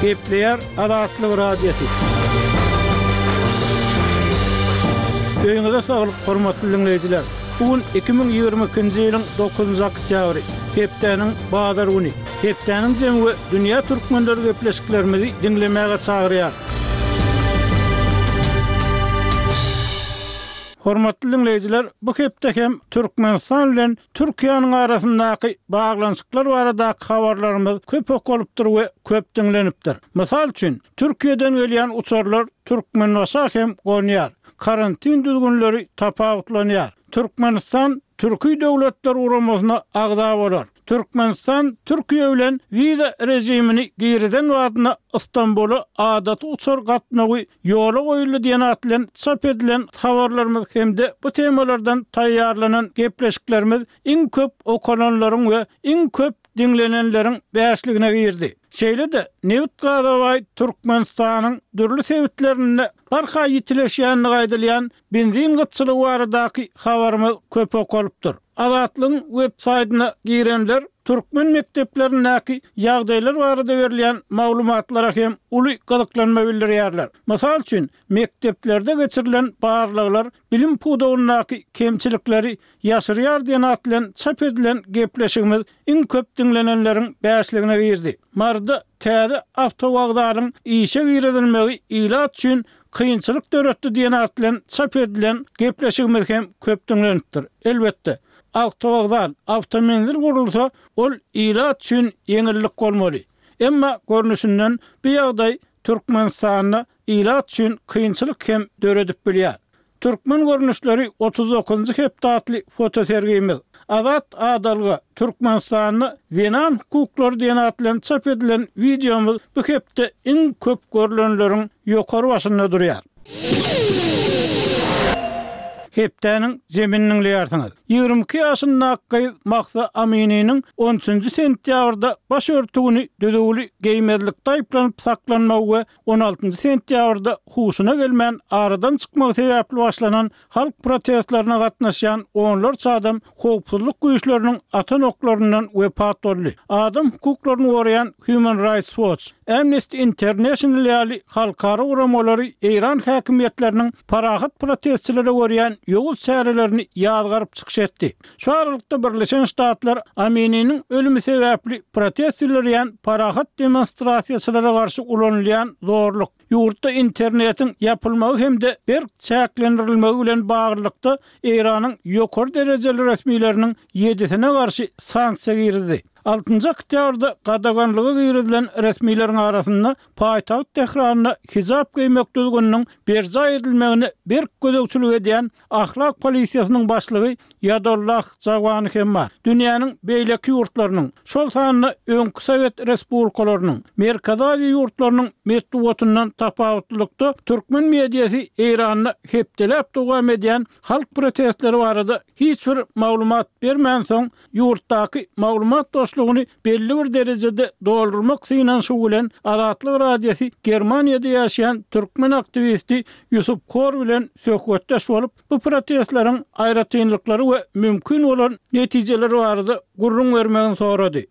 Gepleýär Azatlyk Radiosy. Öýüňize saglyk, hormatly diňleýjiler! Bu gün 2022-nji ýylyň dokuzynjy oktýabry, hepdäniň bazar güni. Hepdäniň jemi we dünýä türkmenleri gepleşiklerimizi diňlemäge çagyrýarys. Hormatly diňleýjiler, bu hepde hem Türkmenistan bilen Türkiýäniň arasyndaky baglanyşyklar baradaky habarlarymyz köp okalypdyr we köp diňlenipdir. Mysal üçin, Türkiýeden gelýän uçarlar Türkmenbaşa hem gonýar. Karantin düzgünleri tapawutlanýar. Türkmenistan Türki Döwletler Guramasyna agza bolar. Türkmenistan Türkiýe bilen wiza režimini girizen badyna Stambula adaty uçar gatnawy ýola goýuldy diýen at bilen çap edilen habarlarymyz hem-de bu temalardan taýýarlanan gepleşiklerimiz iň köp okalanlaryň we iň köp diňlenenleriň bäşligine girdi. Şeýle-de, nebit-gaza baý Türkmenistanyň dürli sebitlerinde barha ýitileşýändigi aýdylýan benzin gytçylygy baradaky habarymyz köp okalypdyr. Azatlygyň web-saýtyna girenler türkmen mekdeplerindäki ýagdaýlar barada berilýän maglumatlara hem uly gyzyklanma bildirýärler. Mysal üçin, mekdeplerde geçirilen barlaglar bilim pudagyndaky kemçilikleri ýaşyrýar diýen at bilen çap edilen gepleşigimiz iň köp diňlenenleriň bäşligine girdi. Maryda täze awtowokzalyň işe girizilmegi ilat üçin kynçylyk döretdi diýen at bilen çap edilen gepleşigimiz hem köp diňlenipdir. Elbetde, awtowokzal, awtomenzil gurulsa, ol ilat üçin ýeňillik bolmaly. Emma, görnüşinden, bu ýagdaý Türkmenistanda ilat üçin kynçylyk hem döredip bilýär. Türkmen görnüşleri 39-njy hepde atly fotosergimiz, Azat adalga, Türkmenistanda zenan hukuklary diýen at bilen çap edilen wideomyz bu hepde iň köp görlenleriň ýokary başynda durýar. Hepdäniň jemini diňleýärsiňiz. 22 ýaşyndaky gyz Mahsa Amininiň on üçünji sentýabrda baş örtügini düzüwli geýmezlikde aýyplanyp saklanmagy we on altynjy sentýabrda huşuna gelmän aradan çykmagy sebäpli başlanan halk protestlerine gatnaşýan onlarça adam howpsuzlyk güýçleriniň atan oklaryndan wepat boldy. Adam hukuklaryny goraýan Human Rights Watch, Amnesty International ýaly halkara guramalary eýran häkimiýetleriniň parahat protestçilere görýän ýowuz çärelerini ýazgaryp çykyş etdi. Şu aralykda Birleşen Ştatlar Amininiň ölümi sebäpli protest bildirýän parahat demonstrasiýaçylara garşy ulanylýan zorluk, ýurtda internetiň ýapylmagy hem-de berk çäklendirilmegi bilen baglylykda Eýranyň ýokary derejeli resmileriniň ýedisine garşy sanksiýa girizdi. Altynjy oktýabrda gadaganlyga girizilen resmileriň arasynda paýtagt Tähranda hijap geýmek düzgüniniň berjaý edilmegine berk gözegçilik edýän Ahlak polisiýasynyň başlygy Ýadollah Jawany hem bar. Dünýäniň beýleki ýurtlarynyň, şol sanda öňki sowet respublikalarynyň, Merkezi Aziýa ýurtlarynyň metbugatyndan tapawutlylykda, türkmen mediasy Eýranda hepdeläp dowam edýän halk protestleri barada hiç bir maglumat bermänsoň, ýurtdaky maglumat boşlugyny belli bir derejede doldurmak synanyşygy bilen Azatlyk Radiosy Germaniýada ýaşaýan türkmen aktiwisti Ýusup Kor bilen söhbetdeş bolup, bu protestleriň aýratynlyklary we mümkin bolan netijeleri barada gürrüň bermegini sorady.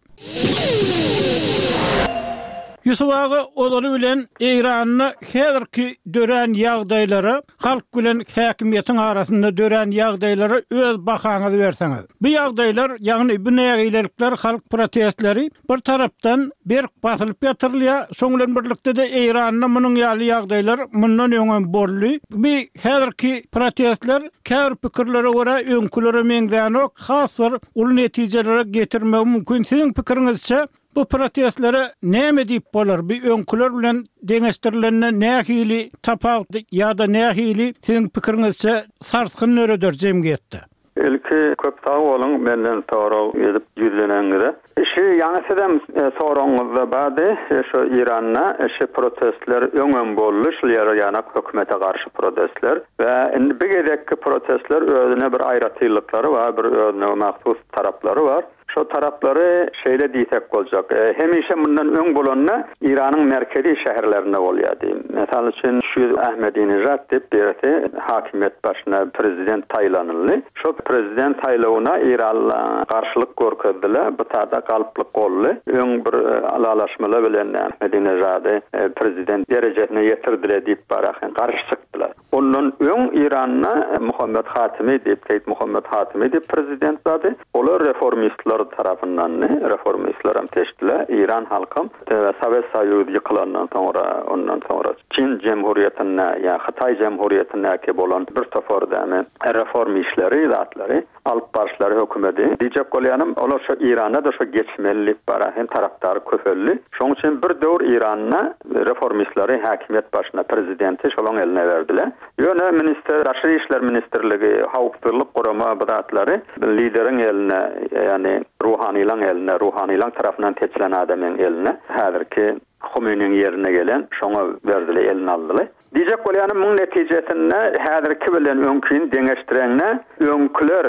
Ýusup aga ozaly bilen Eýranda häzirki dörän ýagdaýlara halk bilen häkimiýetiň arasynda dörän ýagdaýlara öz bahaňyzy berseňiz. Bu ýagdaýlar, ýagny bu nägilelikler, halk protestleri bir tarapdan berk basylyp ýatyrylýar, şoň bilen birlikde-de Eýranda munuň ýaly ýagdaýlar mundan öňem boldy. Bu häzirki protestler käbir pikirlere görä öňkülere meňzänok, has bir uly netijelere getirmegi mümkin. Siziň pikiriňizçe, Bu protestlere näme diýip bolar? Bu öňküler bilen deňeşdirilende nähili tapawut ýa-da nähili siziň pikiriňizçe sarsgyn döreder jemgyýetde? Ilki köp sag boluň menden sorag edip ýüzleneniňize. Şi ýaňy sizem soragyňyzda bardy şu Iranda şi protestler öňem boldy şul ýere ýanak hökümete garşy protestler we indi bi gezekki protestler özüne bir aýratynlyklary bar bir özüne mahsus taraplary bar. Şo taraplary şeýle diýsek boljak. Hemişe mundan öň bolanda Eýranyň merkezi şäherlerinde bolýardy. Mysal üçin, şu ýyl Ahmedinejad diýip birisi hakimiýet başyna prezident saýlanyldy. Şo prezident saýlawyna eýranlylar garşylyk görkezdiler. Bu tada galplyk boldy. Öň bir ylalaşmalar bilen Ahmedinejady prezident derejesine ýetirdiler diýip barahin garşy çykdylar. Ondan öň Eýranda Muhammet Hatimi diýip, Seýit Muhammet Hatimi diýip prezident bardy. Olar reformistler tarapyndandy. Reformistlerem seçdiler. Eýran halkam Sowet Soýuzy ýykylandan soňra, ondan soňra Çin jemhuriýetinde ýa Hytaý jemhuriýetindäki bolan bir topar dämi reform işleri, zatlary alyp baryşlary hökümedi. Diýjek bolýanym, olar şo Eýranda-da şo geçmeli diýip bara hem tarapdary köpeldi. Şoň üçin bir döwür Eýranda reformistleri häkimiýet başyna, prezidenti şolaň eline berdiler. Ýöne ministr, daşary işler ministrligi, howpsuzlyk gurama bu zatlary lideriň eline, ýagny ruhanylaň eline, ruhanylaň tarapyndan seçilen adamyň eline, häzirki Humeýniň ýerine gelen şoňa berdiler, eline aldylar. Diýjek bolýanym, muň netijesinde häzirki bilen öňkini deňeşdireňde, öňküler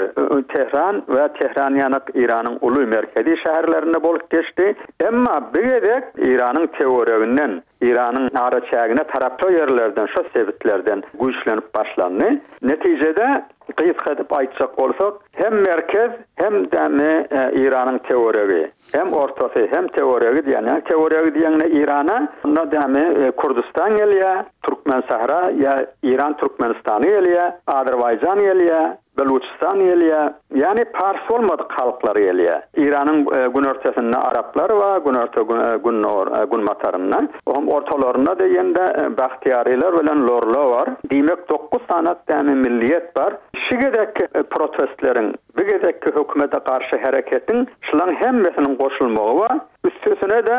Tehran we Tehran ýanak Eýranyň uly merkezi şäherlerinde bolup geçdi. Emma bu gezek Eýranyň töwereginden, Eýranyň araçägine tarap şo ýerlerden, şo sebitlerden güýçlenip başlandy. Netijede, gysga edip aýtjak bolsak, hem merkez, hem dämi Eýranyň töweregi. Hem ortasy, hem töweregi diýen, ýa töweregi diýeňde Eýrana, onda dämi Kürdüstan gelýär, Türkmensähra ýa Eýran Türkmenistany gelýär, Azerbaýjan gelýär, Beluçistan gelýär, ýagny pars bolmadyk halklar gelýär. Eýranyň günortasynda araplar bar, günorta gündogar günbatarynda, ohm ortalarynda diýende bahtiýarylar bilen lorlar bar. Diýmek dokuz sany dämi milliýet bar. Şu gezekki protestleriň Bu gezekki hökümete garşy hereketiň şulaň hemmesiniň goşulmagy bar. Üstesine-de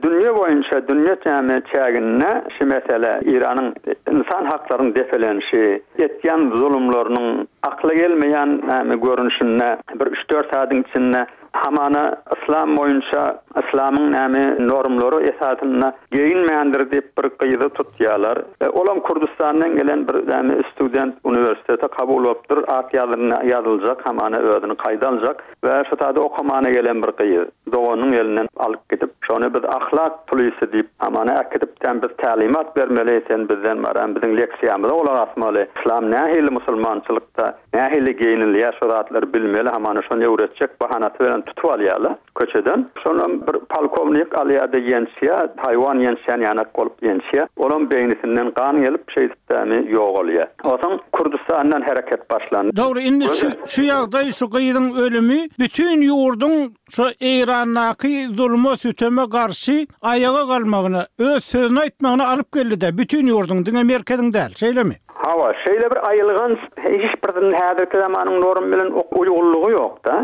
dünýe boýunça, dünýe näme çäginde şu mesele Eýranyň ynsan haklarynyň depelenişi, etýän zulumlarynyň akla gelmeýän näme görnüşinde bir üç-dört saadyň içinde hamana yslam boýunça yslamyň näme normlary esasynda geýinmändir diýip bir gyzy tutýarlar. Olam Kürdüstandan gelen bir näme student uniwersitete kabul bolupdyr, at ýazynda ýazyljak hamana özüni kaýda aljak we şu taýda okamana gelen bir gyz doganynyň elinden alyp gidip şony biz ahlak polisi diýip hamana äkidip sen biz tälimat bermeli sen bizden baran biziň leksiýamyza gulak asmaly yslam nähili musulmançylykda nähili geýinilýär şo zatlary bilmeli hamana şony öwretjek bahanasy bilen tutup alýarlar. Köçeden. Şonam bir polkownik alýa-da ýençýä, haýwan ýençýän ýanak bolup ýençýä. Olam beýnisinden gan gelip, şeýdip dämi ýogalýa. Onsoň Kürdüstandan hereket başlandy. Dogry, indi şu şu ýagdaý, şu gyzyň ölümi bütin ýurduň şu Eýrandaky zuluma, süteme garşy aýaga galmagyna, öz sözüni aýtmagyna alyp geldi-dä, bütin ýurduň, diňe merkeziň däl, şeýlemi? Hawa, şeýle bir aýylganç, hiç bir häzirki zamanyň normy bilen uýgunlygy ýok-da.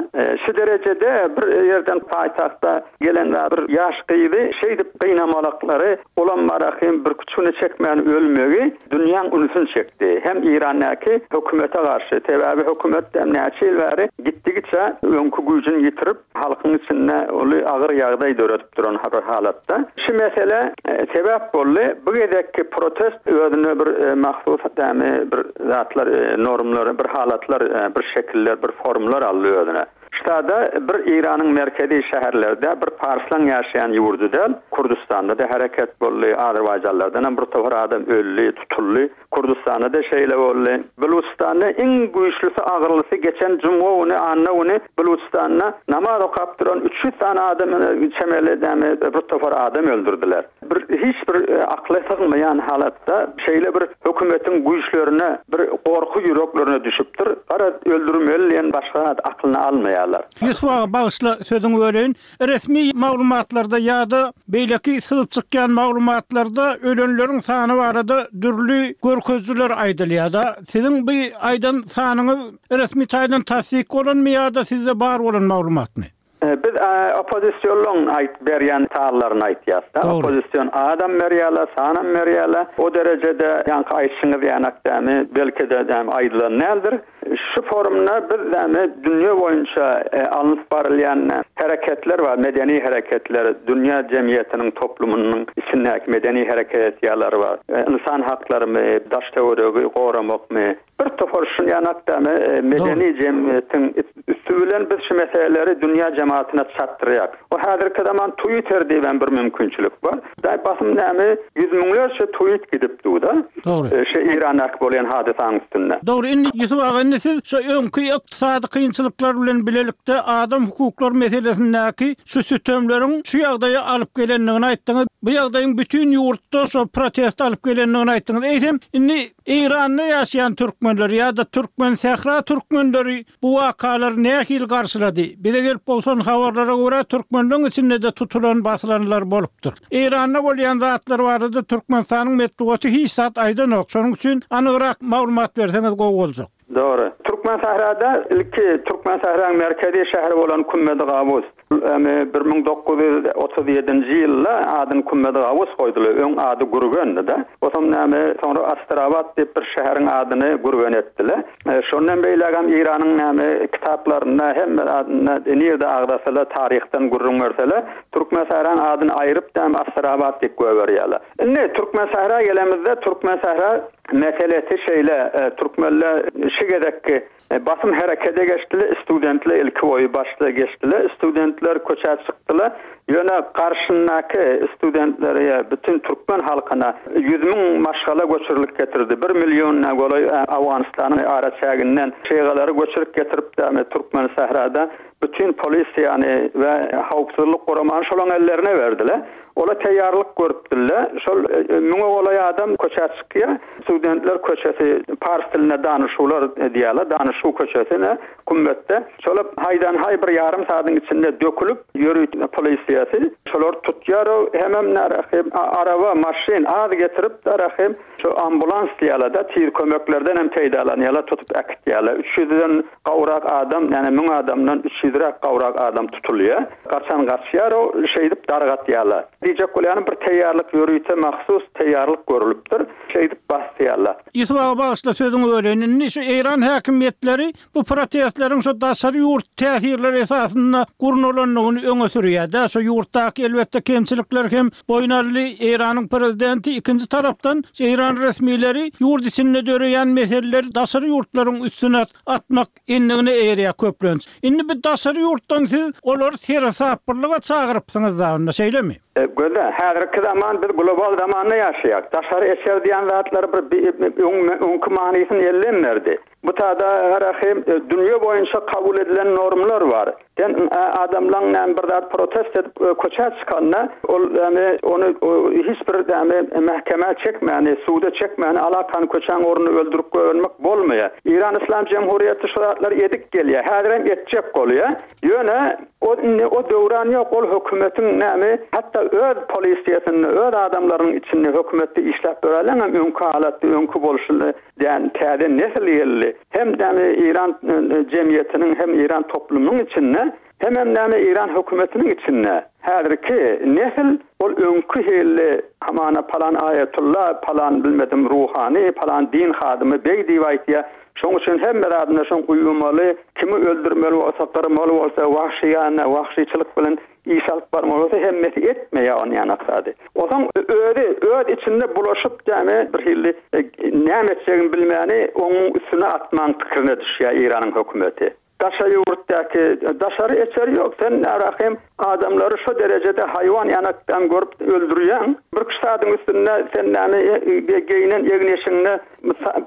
Şu derejede bir ýerden paýtagta gelen bir ýaş gyzy şeýdip gynamalaklary, olam barahym birküç güne çekmän ölmegi dünýäň ünsüni çekdi. Hem Eýrandaky hökümete garşy, sebäbi hökümet hem näçe ýyl bäri gitdigiçe öňki güýjüni ýitirip, halkyň içinde uly agyr ýagdaý döredip duran bir halatda şu mesele sebäp boldy. Bu gezekki protest özüne bir mahsus dämi bir zatlar normlar bir halatlar bir şekiller bir formlar aldy özüne. Ştada bir Eýranyň merkezi şäherlerde bir parslaň ýaşaýan ýurdy däl, Kürdüstanda-da hereket boldy, Azerbaýjanlardan hem bir topar adam öldi, tutuldy. Kürdüstanda-da şeýle boldy. Belujystanda iň güýçlüsi, agyrlysy geçen jumga güni, anna güni Belujystanda namaz okap duran 300 sany adam çemeli näme bir topar adam öldürdiler. Bir hiç bir akla sygmaýan halatda şeýle bir hökümetiň güýçlerine bir gorky ýüreklerine düşüpdir. Garaz öldürmeli diýen başga zat aklyna almaýarlar. Ýusup aga bagyşla sözüňi böleýin. Resmi maglumatlarda ýa-da beýleki syzyp çykýan maglumatlarda ölenleriň sany barada dürli görkezijiler aýdylýar-da. Siziň bu aýdan sanyňyz resmi taýdan tassyk bolanmy ýa-da sizde bar bolan maglumatmy? Biz oppozisionlaryň aýt berýän sanlaryny aýtýas-da. Oppozision adam berýärler, sanam berýärler. O derejede ýaňky aýtşyňyz ýanak dämi, belki-de dämi aýdylan däldir. Şu forumda biz näme dünýe boýunça alnyp barylýan hereketler bar, medeni hereketler, dünýä jemgyýetiniň toplumynyň içindäki medeni hereket etýärler bar. Ynsan haklarymy, daş-töweregi goramakmy, bir topar şuny ýanak näme medeni jemgyýetiň üsti bilen biz şu meseleleri dünýä jematyna çatdyrýar. O häzirki zaman Twitter diýibem bir mümkinçilik bar. Daý basym näme ýüz müňlerçe tweet gidip dur-da. Dogry. Şu Eýrandaky bolýan hadysanyň üstünde. Dogry, indi Ýusup aga indi siz şu öňki ykdysady kynçylyklar bilen bilelikde adam hukuklary meselesindäki şu sütemleriň şu ýagdaýa alyp gelendigini aýtdyňyz. Bu ýagdaýyň bütin ýurtda şo proteste alyp gelendigini aýtdyňyz. Eýsem, indi Eýranda ýaşaýan türkmenler ýa-da türkmen sähra türkmenleri bu wakalary nähili garşylady? Bize gelip gowşan habarlara görä türkmenleň içinde-de tutulan basylanlar bolupdyr. Eýranda bolýan zatlar barada Türkmenistanyň metbugaty hiç zat aýdanok, şonuň üçin anygrak maglumat berseňiz gowy boljak. Dogry. Türkmensährada ilki Türkmensähraň merkezi şäheri bolan Kümmedi-Gawus, 1937-nji ýylda adyny Kümmedi-Gawus goýdular. Öň ady Gürgendi-de. Otam näme, soňra Astrabat diýip bir şäheriň adyny Gürgen etdiler. Şondan beýlägem Eýranyň näme kitaplarynda hemme zadynda nirde agzasalar, taryhdan gürrüň berseler, Türkmensähraň adyny aýryp näme Astrabat diýip goýberýärler. Indi Türkmensähra gelemizde, Türkmensähra meselesi şeýle, türkmenler şu gezekki Basym herekede geçdiler, studentler ilki boýy başda geçdiler, studentler köçä çykdylar, ýöne garşyndaky studentlere ýa bütin türkmen halkyna 100 müň maşgala göçürilip getirildi, bir milliona golaý Owganystanyň araçäginden şygalary göçürip getirip dämi Türkmensährada bütin polisiýany we howpsuzlyk guramany şolaň ellerine berdiler. Olar taýýarlyk görüpdirler. Şol müňe golaý adam köçä çykýar. Studentler köçesi, pars dilinde danyşuwlar diýýärler, danyşuw köçesine, kümmetde. Şolar haýdan-haý bir ýarym saadyň içinde dökülip, ýörite polisiýasy şolary tutýar. Hemem närahy araba, maşyn az getirip, närahy şu ambulans diýýärler-de, tiz kömeklerden hem peýdalanýarlar, tutup äkitýärler. Üç ýüzden gowrak adam, ýagny müň adamdan üç ýüzräk gowrak adam tutulýar. Gaçan gaçýar, o şeýdip dargatýarlar. Diýjek bolýanym bir teýýarlyk ýörite mahsus teýýarlyk görülipdir. Şeýdip basýarlar. Ýusup aga bagyşla sözüňi böleýin. Indi şu Eýran häkimiýetleri bu protestleriň şu daşary ýurt täsirleri esasynda gurnalandygyny öňe sürýär-dä. Şu ýurtdaky elbetde kemçilikler hem boýun aldy Eýranyň prezidenti. Ikinji tarapdan Eýran resmileri ýurt içinde döreýän meseleleri daşary ýurtlaryň üstüne atmak endigine eýerýär köplenç. Indi bu daşary ýurtdan siz olary seresaplylyga çagyrypsyňyz da onda şeýlemi? Gözel, häzirki zaman biz global zamanda ýaşaýarys. Daşary eser diýen zatlar bir öňki manysyny elden berdi. Bu tada Rahym dünýe boýunça kabul edilen normlar bar. Sen adamlaň näme bir zat protest edip köçä çykanda ol näme ony hiç bir näme mähkemä çekmäni, suda çekmäni alakany köçäň ornunda öldürip goýbermek bolmaýar. Eýran Yslam Jemhuriýeti şu zatlary edip gelýär. Häzirem etjek bolýar. Ýöne o indi o döwran ýok ol hökümetiň näme hatda öz polisiýasynda öz adamlarynyň içinde hökümetde işläp ýörenleňem öňki halatda öňki bolşuny Däl, täze nesil geldi. Hem näme Eýran jemgyýetiniň hem Eýran toplumynyň içinde, hemem näme Eýran hökümetiniň içinde. Häzirki nesil ol öňki hilli hamana palan aýatulla, palan bilmedim ruhany, palan din hadymy beg diýip aýtýar. Şoň üçin hemme zadynda şoň uýmaly, kimi öldürmeli bolsa, gyrmaly bolsa, wagşyýana, wagşyçylyk bilen Iş alyp barmaly bolsa hemmesi etmeýär ony ýanak zady. Onsoň özi öz içinde bulaşyp dämi bir hili näme etjegini bilmäni onuň üstüne atmaň pikirine düşýär Eýranyň hökümeti. Daşary ýurtdaky daşary eçeri ýok sen Rahym adamlary şo derejede haýwan ýanakdan görüp öldürýäň. Birküç sadyň üstünde sen näme geýinen egin eşigiňde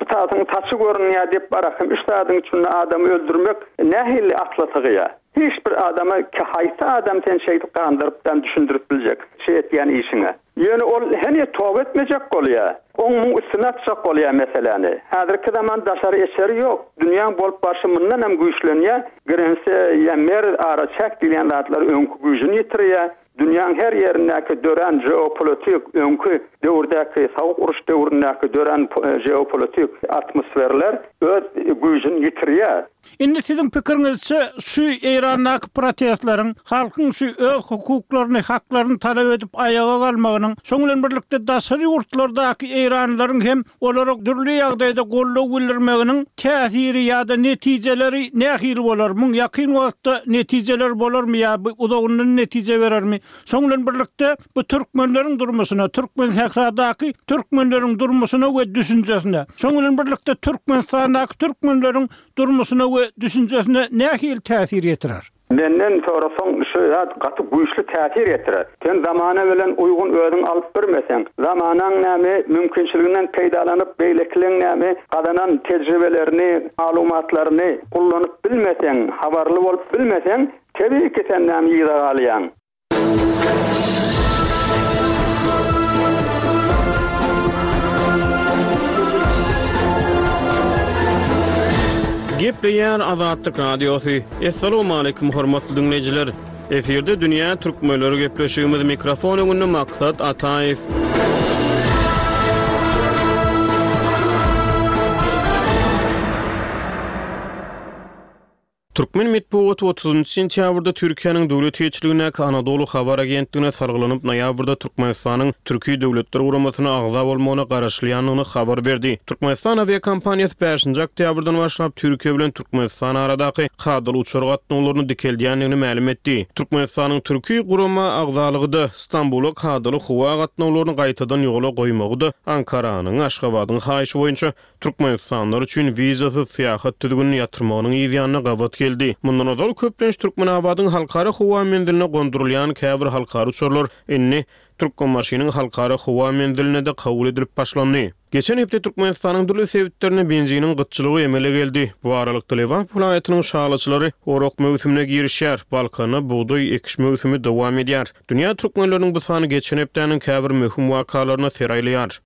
bir sadyň saçy görünýär diýip Rahym üç sadyň içinde adamy öldürmek nähili akla sygýar. Hiç bir adama ki haýsy adam seni şeýdip gandyrypdan düşündirip biljek şeý etýän işiňe. Ýöne ol heniz toba etmejek bolýa. Oň muň üstüne atjak bolýa meseläni. Häzirki zaman daşary eçeri ýok. Dünýäň bolup barşy mundan hem güýçlenýä. Grense ýa merz ara çäk diýilýän zatlar öňki güýjüni ýitirýä. Dünýäň her ýerindäki dörän jeopolitik öňki döwürdäki sowuk uruş döwründäki dörän jeopolitik atmosferler. öz güýjüni ýitirýär. Indi siziň pikiriňizçe şu Eýrandaky protestleriň, halkyň şu öz hukuklaryny, haklaryny talap edip aýaga galmagynyň, şoň bilen birlikde daşary ýurtlardaky eýranlylaryň hem olara dürli ýagdaýda goldaw bildirmeginiň täsiri ýa-da netijeleri nähili bolar? Muň ýakyn wagtda netijeleri bolarmy ýa bu uzagyndan netije berermi? Şoň bilen birlikde bu türkmenleriň durmuşyna, Türkmensähradaky türkmenleriň durmuşyna we düşünjesine, şoň bilen birlikde Türkmenistandaky türkmenleriň durmuşyna we düşünjesine nähili täsir ýetirer? Menden sorasaň şu zat gaty güýçli täsir ýetirer. Sen zamana bilen uýgun özüň alyp birmeseň, zamanaň näme mümkinçiliginden peýdalanyp beýlekileň näme gazanan tejribelerini, maglumatlaryny ullanyp bilmeseň, habarly bolup bilmeseň, tebigy ki sen näme yza galýaň. Gepleýär Azatlyk Radiosy. Assalamualaikum hormatly diňleýjiler. Efirde dünýä türkmenleri gepleşigimiz mikrofon öňünde Maksat Ataýew. Türkmen metbugaty otuzynjy sentýabrda Türkiýäniň döwlet eýeçiligindäki Anadolu habar agentligine salgylanyp, noýabrda Türkmenistanyň Türki Döwletler Guramasyna agza bolmagyna garaşylýandygyny habar berdi. Türkmenistan awiakompaniýasy bäşinji oktýabrdan başlap Türkiýe bilen Türkmenistan aradaky kadaly uçar gatnawlaryny dikeldýändigini mälim etdi. Türkmenistanyň Türki gurama agzalygy-da, Stambula kadaly howa gatnawlaryny gaýtadan ýola goýmagy-da Ankaranyň Aşgabadyň haýyşy boýunça Türkmenistanlylar üçin wizasyz syýahat düzgünini ýatyrmagynyň yz ýanyna gabat geldi. Mundan ozal köplenç Türkmenabadyň halkara howa menziline gondurylýan käbir halkara uçarlar indi Türkmenbaşynyň halkara howa menziline-de kabul edilip başlandy. Geçen hepde Türkmenistanyň dürli sebitlerinde benziniň gytçylygy emele geldi. Bu aralykda Lebap welaýatynyň şalyçylary orak möwsümine girişýär, Balkanda bugdaý ekiş möwsümi dowam edýär. Dünýä türkmenleriniň bu sany geçen hepdäniň käbir möhüm wakalaryna ser aýlaýar.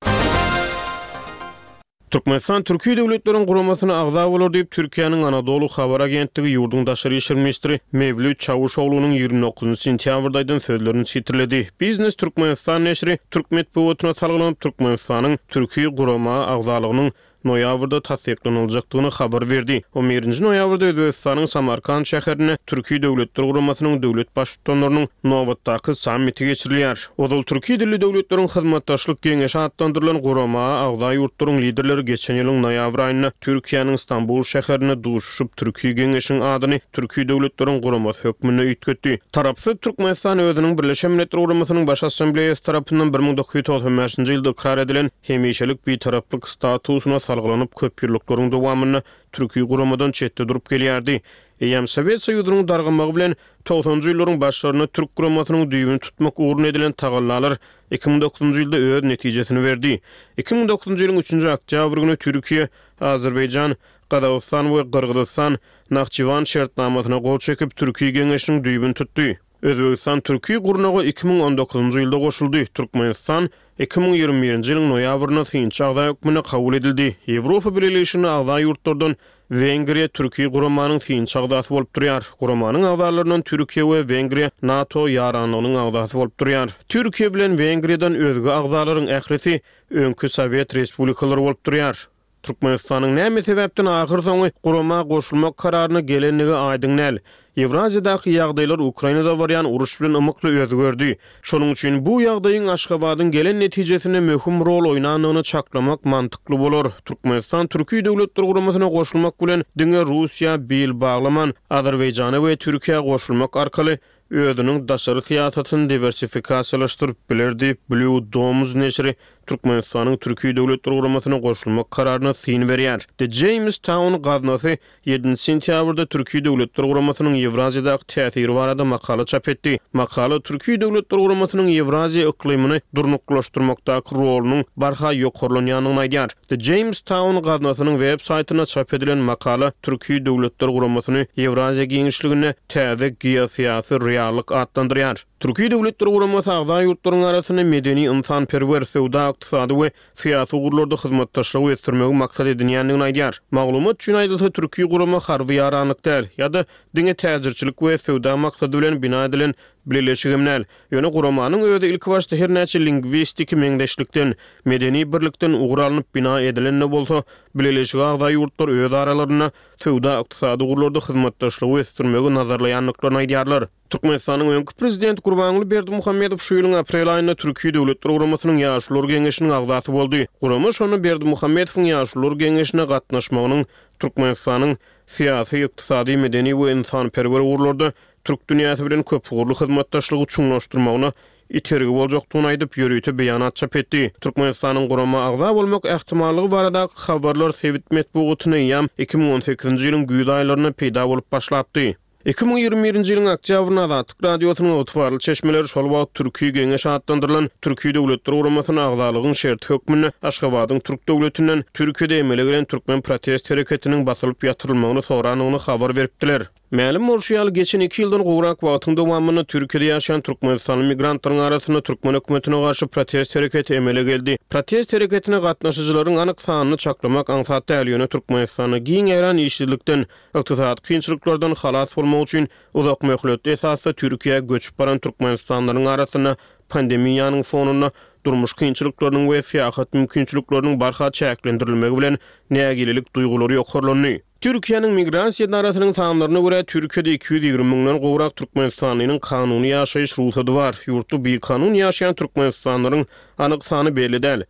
Türkmenistan Türki döwletleriň guramasyna agza bolar diýip, Türkiýäniň Anadolu habar agentligi ýurduň daşary işler ministri Mewlüt Çawuşoglunyň 29 sentýabrda aýdan sözlerini sitirledi. Biznes Türkmenistan neşiri türk metbugatyna salgylanyp, Türkmenistanyň Türki gurama agzalygynyň noýabrda tassyklanyljakdygyny habar berdi. On birinji noýabrda Özbegistanyň Samarkant şäherinde Türki Döwletler Guramasynyň döwlet Baştutanlarynyň nobatdaky sammiti geçirilýär. Ozal Türki dilli döwletleriň hyzmatdaşlyk geňeşi atlandyrylan gurama agza ýurtlaryň liderleri geçen ýylyň noýabr aýynda Türkiýäniň Stambul şäherinde duşuşyp, Türki geňeşiň adyny Türki döwletleriň guramasy hökmünde üýtgetdi. Tarapsyz Türkmenistan özüniň Birleşen Milletler Guramasynyň Baş Assambleýasy tarapyndan 1995-nji ýylda ykrar edilen hemişelik Bitaraplyk statusyna salgylanyp, köp ýyllyklaryň dowamynda Türki guramadan çetde durup gelýärdi. Eýýäm Sowet Soýuzynyň dargamagy bilen togsanjy ýyllaryň başlarynda Türk guramasynyň düýbüni tutmak ugrunda edilen tagallalar 2009-njy ýylda öz netijesini berdi. 2009-njy ýylyň üçünji oktýabr güni Türkiýe, Azerbaýjan, Gazagystan we Gyrgyzystan Nahçywan şertnamasyna gol çekip, Türki Geňeşiniň düýbüni tutdy. Özbegistan Türki gurnaga 2019-njy ýylda goşuldy, Türkmenistan 2021-nji ýylyň noýabrynda synçy agza hökmünde kabul edildi. Ýewropa Bileleşigine agza ýurtlardan Wengriýa Türki guramanyň synçy agzasy bolup durýar. Guramanyň agzalaryndan Türkiýe we Wengriýa NATO ýaranlygynyň agzasy bolup durýar. Türkiýe bilen Wengriýadan özge agzalaryň ählisi öňki sowet respublikalary bolup durýar. Türkmenistanyň näme sebäpden ahyrsoňy gurama goşulmak kararyna gelendigi aýdyň däl. Ýewraziýadaky ýagdaýlar Ukrainada barýan uruş bilen ymykly özgerdi. Şonuň üçin bu ýagdaýyň Aşgabadyň gelen netijesinde möhüm rol oýnandygyny çaklamak mantykly bolar. Türkmenistan Türki Döwletler Guramasyna goşulmak bilen diňe Russiýa bil baglaman, Azerbaýjana we Türkiýä goşulmak arkaly özüniň daşary syýasatyny diwersifikasiýalaşdyryp biler diýip, Blue Domes neşiri Türkmenistanyň Türki Döwletler Guramasyna goşulmak kararyna syn berýär. The Jamestown gaznasy ýedinji sentýabrda Türki Döwletler Guramasynyň Ýewraziýadaky täsiri barada makala çap etdi. Makala Türki Döwletler Guramasynyň Ýewraziýa yklymyny durnuklaşdyrmakdaky rolunyň barha ýokarlanýandygyny aýdýar. The Jamestown gaznasynyň web saýtynda çap edilen makala Türki Döwletler Guramasyny Ýewraziýa giňişliginde täze geosyýasy reallyk atlandyrýar. Türki Döwletler Guramasy agza ýurtlaryň arasynda medeni-ynsanperwer, söwda-ykdysady we syýasy ugurlarda hyzmatdaşlygy ösdürmegi maksat edinýändigini aýdýar. Maglumat üçin aýdylsa, Türki gurama harby ýaranlyk däl, ýa-da diňe täjirçilik we söwda maksady bilen bina edilen. Bileleşigem däl. Ýöne guramanyň özi ilkibaşda her näçe lingwistiki meňzeşlikden, medeni birlikden ugur alnyp bina edilen-de bolsa, Bileleşige agza ýurtlar öz aralarynda söwda-ykdysady ugurlarda hyzmatdaşlygy ösdürmegi nazarlaýandyklaryny aýdýarlar. Türkmenistanyň öňki prezidenti Gurbanguly Berdimuhamedow şu ýylyň aprel aýynda Türki Döwletler Guramasynyň Ýaşulular Geňeşiniň agzasy boldy. Gurama şonda Berdimuhamedowyň Ýaşulular Geňeşine gatnaşmagynyň Türkmenistanyň syýasy, ykdysady, medeni we ynsanperwer ugurlarda türk dünýäsi bilen köpugurly hyzmatdaşlygy çuňlaşdyrmagyna itergi boljakdygyny aýdyp, ýörite beýanat çap etdi. Türkmenistanyň gurama agza bolmak ähtimallygy baradaky habarlar sebit metbugatynda eýýäm 2018-nji ýylyň güýz aýlarynda peýda bolup başlapdy. 2021-nji ýylyň oktýabrynda Azatlyk Radiosynyň ygtybarly çeşmeleri şol wagt Türki Geňeş atlandyrylan Türki Döwletler Guramasyna agzalygyň şerti hökmünde Aşgabadyň türk döwletinden Türkiýede emele gelen türkmen protest hereketiniň basylyp ýatyrylmagyny sorandygyny habar beripdiler. Mälim bolşy ýaly, geçen iki ýyldan gowrak wagtyň dowamynda Türkiýede ýaşaýan türkmenistanly migrantlaryň arasynda türkmen hökümetine garşy protest hereketi emele geldi. Protest hereketine gatnaşyjylaryň anyk sanyny çaklamak aňsat däl, ýöne Türkmenistanda giň ýaýran işsizlikden, ykdysady kynçylyklardan halas bolmak üçin uzakmöhletli esasda Türkiýä göçüp baran türkmenistanlylaryň arasynda pandemiýanyň fonunda durmuş kynçylyklarynyň we syýahat mümkinçilikleriniň barha çäklendirilmegi bilen nägilelik duýgulary ýokarlandy. Türkiýäniň Migrasiýa edarasynyň sanlaryna görä, Türkiýede 220 müňden gowrak türkmenistanlynyň kanuny ýaşaýyş rugsady bar. Ýurtda bikanun ýaşaýan türkmenistanlylaryň anyk sany belli däl.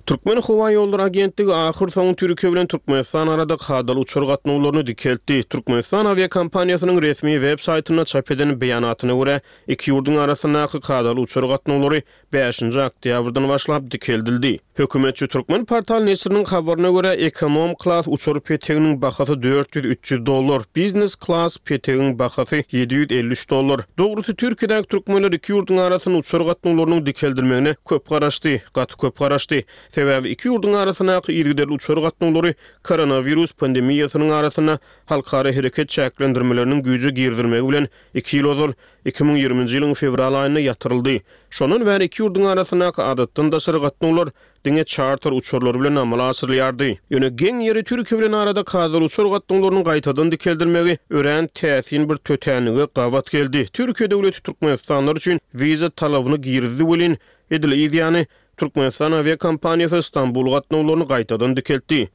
Türkmenhowaýollary agentligi ahyrsoňy Türkiýe bilen Türkmenistan arada kadaly uçar gatnawlaryny dikeltdi. Türkmenistan awiakompaniýasynyň resmi web saýtynda çap eden beýanatyna görä, iki ýurduň arasyndaky kadaly uçar gatnawlary bäşinji oktýabrdan başlap dikeldildi. Hökümetçi Türkmenportal neşiriniň habaryna görä, ekonom klas uçar peteginiň bahasy 400-300 dollar, biznes klas petegiň bahasy 753 dollar. Dogrusy, Türkiýedäki türkmenler iki ýurduň arasynda uçar gatnawlarynyň dikeldilmegine köp garaşdy, gaty köp garaşdy. Sebäbi iki ýurduň arasyndaky yzygiderli uçar gatnawlary koronawirus pandemiýasynyň arasynda halkara hereket çäklendirmeleriniň güýje girizilmegi bilen iki ýyl ozal, 2020-nji ýylyň fewral aýynda ýatyryldy. Şondan bäri iki ýurduň arasyndaky adatdan daşary gatnawlar diňe çarter uçarlary bilen amala aşyrylýardy. Ýöne geň ýeri Türkiýe bilen arada kadaly uçar gatnawlarynyň gaýtadan dikeldilmegi örän täsin bir tötänlige gabat geldi. Türkiýe döwleti türkmenistanlylar üçin wiza talabyny girizdi welin, edil yz ýany, Türkmenistan awiakompaniýasy Stambul gatnawlaryny gaýtadan dikeltdi.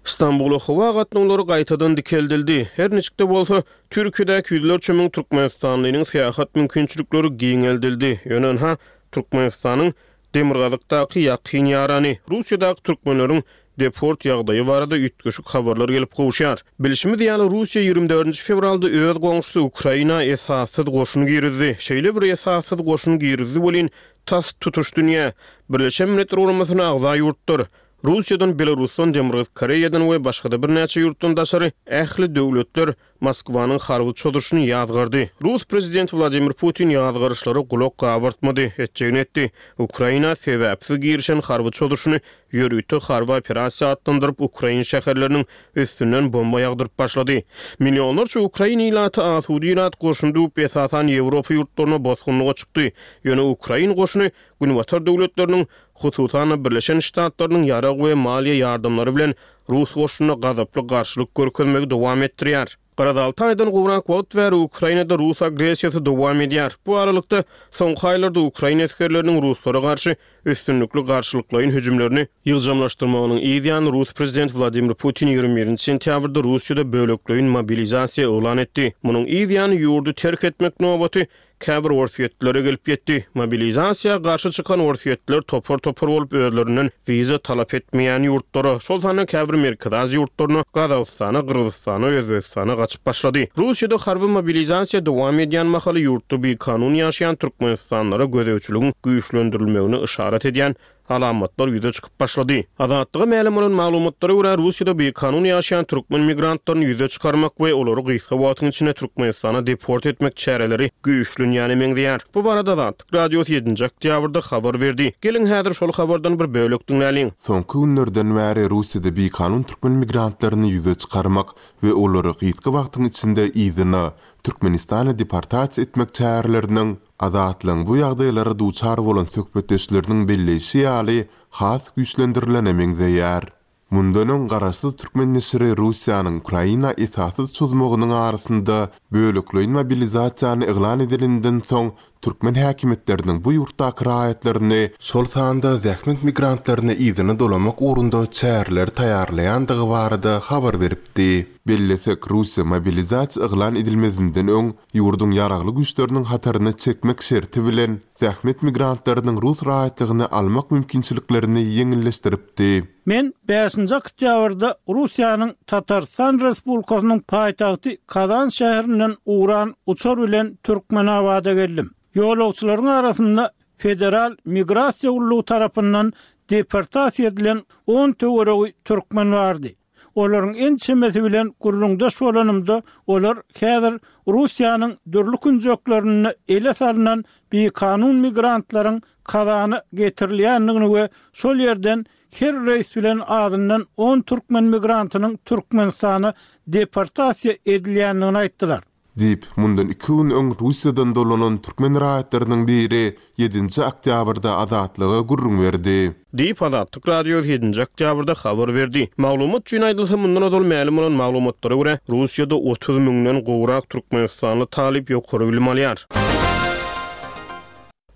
Stambula howa gatnawlary gaýtadan dikeldildi. Her niçik-de bolsa, Türkiýedäki ýüzlerçe müň türkmenistanlynyň syýahat mümkinçilikleri giňeldildi. Ýöne ynha, Türkmenistanyň demirgazykdaky ýakyn ýarany, Russiýadaky türkmenleriň deport ýagdaýy barada üýtgeşik habarlar gelip gowuşýar. Bilşimiz ýaly, Russiýa 24 fewralda öz goňşusy Ukraina esassyz goşun girizdi. Şeýle bir esassyz goşun girizdi welin, tas tutuş dünýä, Birleşen Milletler Guramasyna agza ýurtlar, Russiýadan, Belarusdan, Demirgazyk Koreýadan we başga-da birnäçe ýurtdan daşary ähli döwletler Moskwanyň harby çozuşyny ýazgardy. Rus prezidenti Wladimir Putin ýazgaryşlara gulak gabartmady, etjegini etdi. Ukraina sebäpsiz girişen harby çozuşyny ýörite harby operasiýa atlandyryp, ukrain şäherleriniň üstünden bomba ýagdyryp başlady. Millionlarça ukrain ilaty asuda ilat goşuny düwüp, esasan Ýewropa ýurtlaryna bosgunlyga çykdy. Ýöne ukrain goşuny Günbatar döwletleriniň, hususan-da, Birleşen Ştatlarynyň ýarag we maliýe ýardamlary bilen rus goşunyna gazaply garşylyk görkezmegi dowam etdirýär. Garaz, alty aýdan gowrak wagt bäri Ukrainada rus agressiýasy dowam edýär. Bu aralykda, soňky aýlarda ukrain esgerleriniň ruslara garşy üstünlikli garşylyklaýyn hüjümlerini ýygjamlaşdyrmagynyň yz ýany rus prezidenti Wladimir Putin 21-nji sentýabrda Russiýada bölekleýin mobilizasiýa yglan etdi. Munuň yz ýany ýurdy terk etmek nobaty Käbir orsýetlilere gelip ýetdi. Mobilizasiýa garşy çykan orsýetliler topar-topar bolup özlerinden wiza talap etmeýän ýurtlara, şol sanda käbir Merkezi Aziýa ýurtlaryna, Gazagystana, Gyrgyzystana, Özbegistana gaçyp başlady. Russiýada harby mobilizasiýa dowam edýän mahaly ýurtda bikanun ýaşaýan türkmenistanlylara gözegçiligiň güýçlendirilmegine yşarat edýän alamatlar ýüze çykyp başlady. Azatlyga mälim bolan maglumatlara görä, Russiýada bikanun ýaşaýan türkmen migrantlaryny ýüze çykarmak we olary gysga wagtyň içinde Türkmenistana deport etmek çäreleri güýçlenýäne meňzeýär. Bu barada Azatlyk Radiosy ýedinji oktýabrda habar berdi. Geliň, häzir şol habardan bir bölek diňläliň. Soňky günlerden bäri Russiýada bikanun türkmen migrantlaryny ýüze çykarmak we olary gysga wagtyň içinde yzyna, Türkmenistana deportasiýa etmek çäreleriniň Azatlygyň bu ýagdaýlara duçar bolan söhbetdeşleriniň belleýşi ýaly, has güýçlendirilene meňzeýär. Mundan öň garaşsyz türkmen neşiri Russiýanyň Ukraina esassyz çozmagynyň arasynda bölekleýin mobilizasiýany yglan edeninden soň türkmen häkimiýetleriniň bu ýurtdaky raýatlaryny, şol sanda zähmet migrantlaryny yzyna dolamak ugrunda çäreleri taýýarlaýandygy barada habar beripdi. Bellesek, Russiýa mobilizasiýa yglan edilmezinden öň ýurduň ýaragly güýçleriniň hataryna çekmek şerti bilen zähmet migrantlarynyň rus raýatlygyny almak mümkinçiliklerini ýeňilleşdiripdi. Men bäşinji oktýabrda Russiýanyň Tatarystan Respublikasynyň paýtagty Kazan şäherinden ugran uçar bilen Türkmenabada geldim. Ýolagçylaryň arasynda Federal migrasiýa gullugy tarapyndan deportasiýa edilen on töweregi türkmen bardy. Olaryň ençemesi bilen gürrüňdeş bolanymda, olar häzir Russiýanyň dürli künjeklerinde ele salnan bikanun migrantlaryň Kazana getirilýändigini we şol ýerden her reýs bilen azyndan on türkmen migrantynyň Türkmenistana deportasiýa edilýändigini aýtdylar. Diýip, mundan iki gün öň Russiýadan dolanan türkmen raýatlarynyň biri ýedinji oktýabrda Azatlyga gürrüň berdi. Diýip, Azatlyk Radiosy ýedinji oktýabrda habar berdi. Maglumat üçin aýdylsa, mundan ozal mälim bolan maglumatlara görä, Russiýada 30 müňden gowrak türkmenistanly talyp ýokary bilim alýar.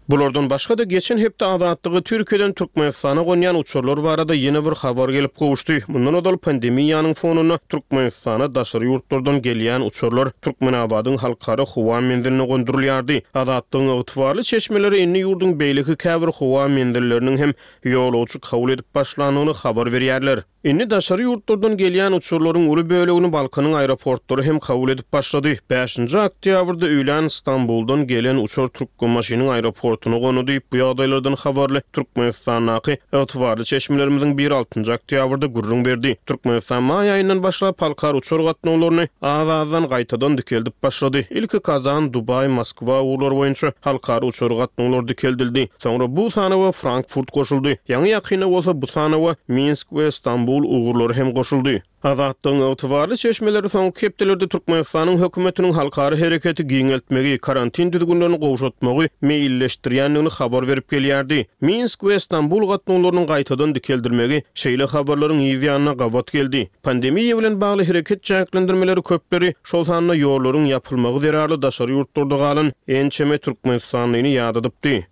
Bulardan başga-da, geçen hepde Azatlyga Türkiýeden Türkmenistana gonýan uçarlar barada ýene bir habar gelip gowuşdy. Mundan ozal pandemiýanyň fonunda Türkmenistana daşary ýurtlardan gelýän uçarlar Türkmenabadyň halkara howa menziline gondurylýardy. Azatlygyň ygtybarly çeşmeleri indi ýurduň beýleki käbir howa menzilleriniň hem ýolagçy kabul edip başlandygyny habar berýärler. Indi daşary ýurtlardan gelýän uçarlaryň uly bölegini Balkanyň aeroportlary hem kabul edip başlady. Bäşinji oktýabrda öýlän Stambuldan gelen uçar Türkmenbaşynyň aeroportuna gondy diýip, bu ýagdaýlardan habarly Türkmenistandaky ygtybarly çeşmelerimiziň biri altynjy oktýabrda gürrüň berdi. Türkmenistan maý aýyndan başlap halkara uçar gatnawlaryny az-azdan gaýtadan dikeldip başlady. Ilki Kazan, Dubaý, Moskwa ugurlary boýunça halkara uçar gatnawlary dikeldildi. Soňra bu sanawa Frankfurt goşuldy. Ýaňy-ýakynda bolsa bu sanawa Minsk we Stambul ugurlary hem goşuldy. Azatlygyň ygtybarly çeşmeleri soňky hepdelerde Türkmenistanyň hökümetiniň halkara hereketi giňeltmegi, karantin düzgünlerini gowşatmagy meýilleşdirýändigini habar berip gelýärdi. Minsk we Stambul gatnawlarynyň gaýtadan dikeldilmegi şeýle habarlaryň yz ýanyna gabat geldi. Pandemiýa bilen bagly hereket çäklendirmeleri köpleri, şol sanda ýollaryň ýapylmagy zerarly daşary ýurtlarda galan ençeme türkmenistanlyny ýadadypdy.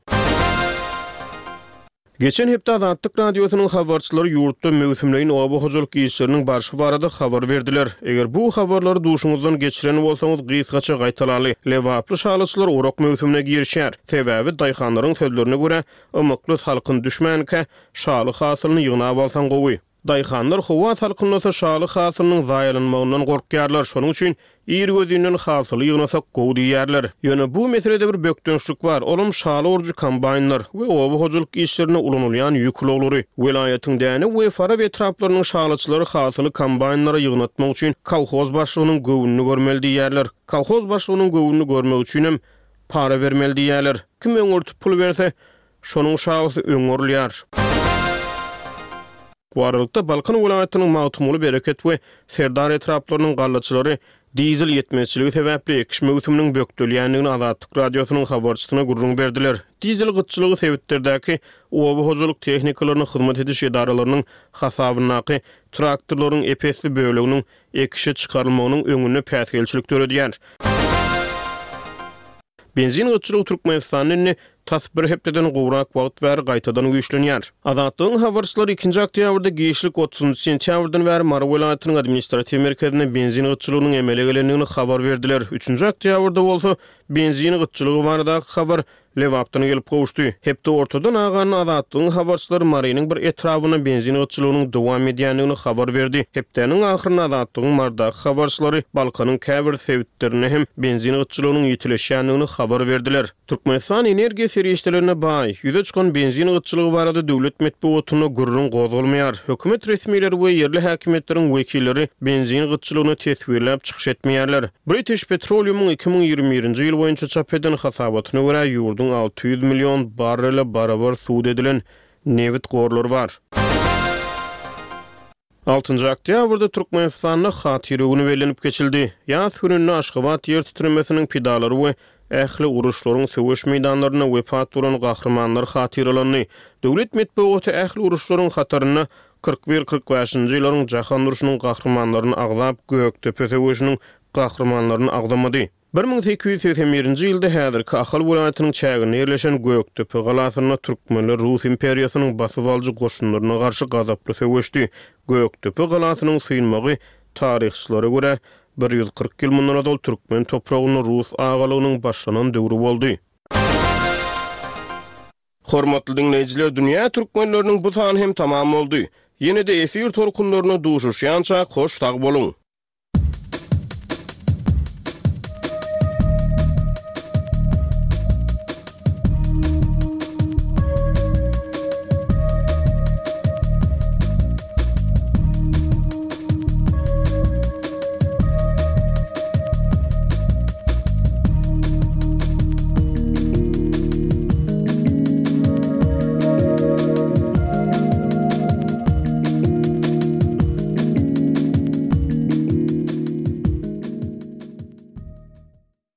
Geçen hepde Azatlyk Radiosynyň habarçylary ýurtda möwsümleýin oba hojalyk işleriniň barşy barada habar berdiler. Eger bu habarlary duşuňyzdan geçiren bolsaňyz, gysgaça gaýtalaly. Lebaply şalyçylar orak möwsümine girişýär. Sebäbi, daýhanlaryň sözlerine görä, ymykly salkyn düşmänkä, şaly hasylyny ýygnap alsaň gowy. Daýhanlar howa salkynlasa şaly hasylynyň zaýalanmagyndan gorkýarlar, şonuň üçin irgözinden hasyly ýygnasak gowy diýýärler. Ýöne bu meselede bir bökdençlik bar, olam şaly orujy kombaýnlar we oba hojalyk işlerinde ulanylýan ýük ulaglary. Welaýatyň Dänew we Farap etraplarynyň şalyçylary hasyly kombaýnlara ýygnatmak üçin kolhoz başlygynyň göwnüni görmeli diýýärler. Kolhoz başlygynyň göwnüni görmek üçinem para bermeli diýýärler. Kim öňürtip pul berse, Şonuň şalysy öň orulýar. Bu aralykda, Balkan welaýatynyň Magtymguly, Bereket we Serdar etraplarynyň gallaçylary dizel ýetmezçiligi sebäpli ekiş möwsüminiň bökdelýändigini Azatlyk Radiosynyň habarçysyna gürrüň berdiler. Dizel gytçylygy sebitlerdäki oba hojalyk tehnikalaryna hyzmat ediş edaralarynyň hasabyndaky traktorlaryň ep-esli böleginiň ekişe çykarylmagynyň öňünde päsgelçilik döredýär. Benzin gytçylygy Türkmenistanda indi tas bir hepdeden gowrak wagt bäri gaýtadan güýçlenýär. Azatlygyň habarçylary ikinji oktýabrda giçlik otuzynjy sentýabrdan bäri Mary welaýatynyň administratiw merkezinde benzin gytçylygynyň emele gelendigini habar berdiler. Üçünji oktýabrda bolsa benzin gytçylygy baradaky habar Lebapdan gelip gowuşdy. Hepde ortadan aganda Azatlygyň habarçylary Marynyň bir etrabynda benzin gytçylygynyň dowam edýändigini habar berdi. Hepdäniň ahyrynda Azatlygyň Marydaky habarçylary Balkanyň käbir sebitlerinde hem benzin gytçylygynyň ýitileşýändigini habar berdiler. Türkmenistan energiýa serişdelerine baý. Ýüze çykan benzin gytçylygy barada döwlet metbugatynda gürrüň gozgalmaýar. Hökümet resmileri we ýerli häkimiýetleriň wekilleri benzin gytçylygyny teswirläp çykyş etmeýärler. British Petroleum-yň 2021-nji ýyl boýunça çap eden hasabatyna görä, ýurduň 600 million barrele barabar sud edilen nebit gorlary bar. Altynjy oktýabrda Türkmenistanda Hatyra güni bellenip geçildi. Ýas gününde Aşgabat ýer titremesiniň pidalary we ähli uruşlaryň söweş meýdanlarynda wepat bolan gahrymanlar hatyralandy. Döwlet metbugaty ähli uruşlaryň hatarynda. 41, 45-nji ýyllaryň jahan urşunyň gahrymanlaryny agzap, Gökdepe söweşiniň gahrymanlaryny agzamady. 1881-nji ýylda häzirki Ahal welaýatynyň çäginde ýerleşen Gökdepe galasynda türkmenler Rus imperiýasynyň basybalyjy goşunlaryna garşy gazaply söweşdi. Gökdepe galasynyň synmagy, taryhçylara görä, 140 ýyl mundan ozal türkmen topragynda rus agalygynyň başlanan döwri boldy. Hormatly diňleýjiler, Dünýä türkmenleriniň bu sany hem tamam boldy. Ýene-de efir tolkunlarynda duşuşýançak hoş sag boluň!